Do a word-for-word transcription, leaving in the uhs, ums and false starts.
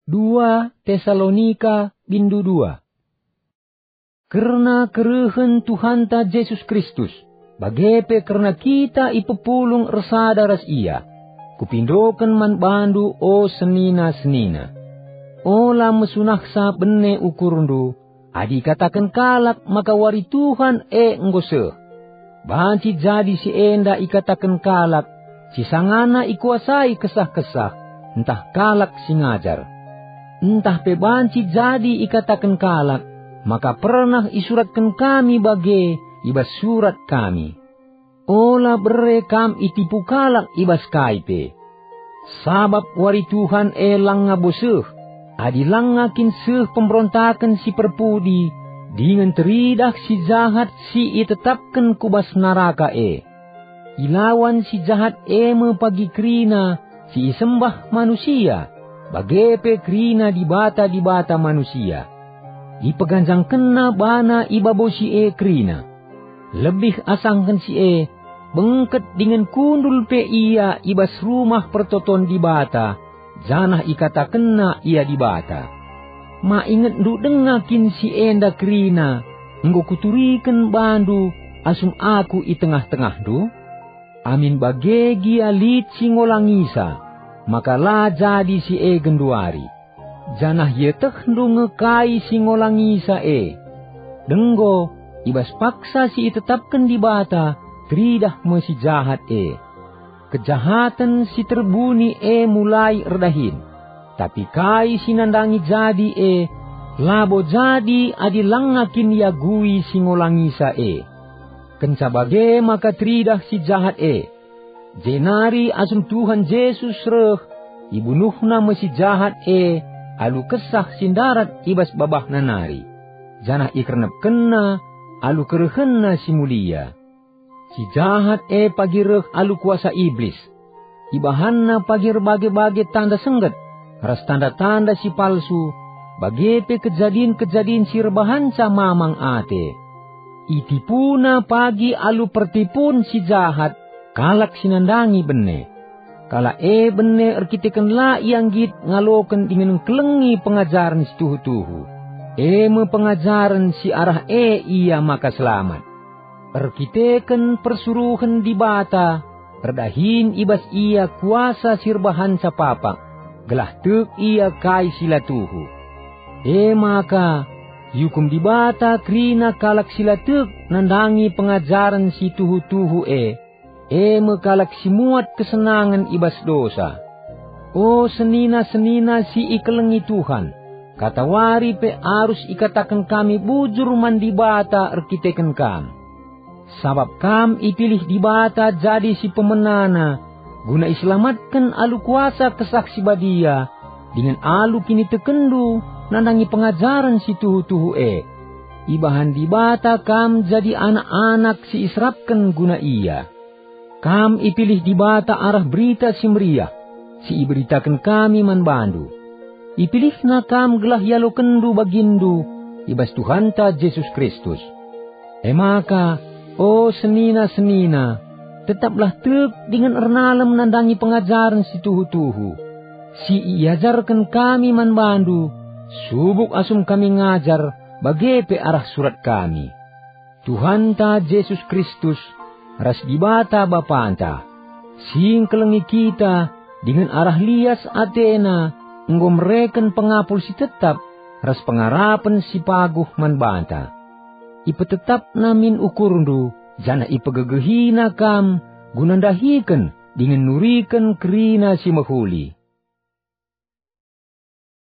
Dua Tesalonika bindu dua. Kerna kerehen Tuhanta Jesus Kristus, bage pe kerna kita ipepulung ersada ras Ia, kupindoken man bandu, o senina-senina. Ola mesunahsa bene ukurndu, adi ikataken kalak maka wari Tuhan e enggo seh. Banci jadi si enda ikataken kalak si sangana ikuasai kesah-kesah, ntah kalak si ngajar. Ntah pe banci jadi ikataken kalak maka pernah isuratken kami bage i bas surat kami. Ola bere kam itipu kalak i bas kai pe. Sabap wari Tuhan e langa bo seh, adi langa kin seh pemberontaken si perpudi, dingen teridah si jahat si itetapken ku bas naraka e. Ilawan si jahat e me pagi kerina si isembah manusia, bage pe kerina dibata-dibata manusia. Ipeganjangkenna bana ibabosi e kerina. Lebih asangken si e, bengket dingen kundul pe ia i bas rumah pertoton Dibata, janah ikatakenna ia Dibata. Ma ingetndu denga kin si enda kerina enggo kuturiken bandu asum aku i tengah-tengahndu? Amin bage gia lit si ngolangisa, maka la jadi si e genduari. Janah ietehndu nge kai si ngolangisa e. Denggo, i bas paksa si itetapken Dibata, teridah me si jahat e. Kejahaten si terbuni e mulai erdahin, tapi kai si nandangi jadi e, labo jadi adi langa kin iagui si ngolangisa e. Kenca bage maka teridah si jahat e. Jenari asum Tuhan Jesus reh, ibunuhna me si jahat e alu kesah si ndarat i bas babahna nari, janah ikernepkenna alu kerehenna si mulia. Si jahat e pagi reh alu kuasa Iblis. Ibahanna pagi erbage-bage tanda sengget ras tanda-tanda si palsu, bage pe kejadin-kejadin si erbahanca mamang ate. Itipuna pagi alu pertipun si jahat kalak si nandangi bene. Kalak e bene erkiteken la ia nggit ngaloken dingen ngkelengi pengajaren si tuhu-tuhu, e me pengajaren si arah e ia maka selamat. Erkiteken persuruhen Dibata, erdahin i bas ia kuasa si erbahanca papak, gelah tek ia kai si la tuhu. E maka, iukum Dibata kerina kalak si la tek nandangi pengajaren si tuhu-tuhu e, e me kalak si muat kesenangen i bas dosa. O senina-senina si ikelengi Tuhan, katawari pe arus ikataken kami bujur man Dibata erkiteken kam. Sabap kam ipilih Dibata jadi si pemenana, guna iselamatken alu kuasa Kesah Si Badia, dingen alu kinitekenndu nandangi pengajaren si tuhu-tuhu e. Ibahan Dibata kam jadi anak-anak si iserapken guna Ia. Kam ipilih Dibata arah Berita Si Meriah, si iberitaken kami man bandu. IpilihNa kam gelah ialokenndu baginndu i bas Tuhanta Jesus Kristus. E maka, o senina-senina, tetaplah tek dingen ernalem nandangi pengajaren si tuhu-tuhu, si iajarken kami man bandu, subuk asum kami ngajar, bage pe arah surat kami. Tuhanta Jesus Kristus ras Dibata Bapanta, si ngkelengi kita dingen arah lias ateNa enggo mereken pengapul si tetap ras pengarapen si paguh man banta. IpetetapNa min ukurndu, janah ipegegehiNa kam guna ndahiken dingen nuriken kerina si mehuli.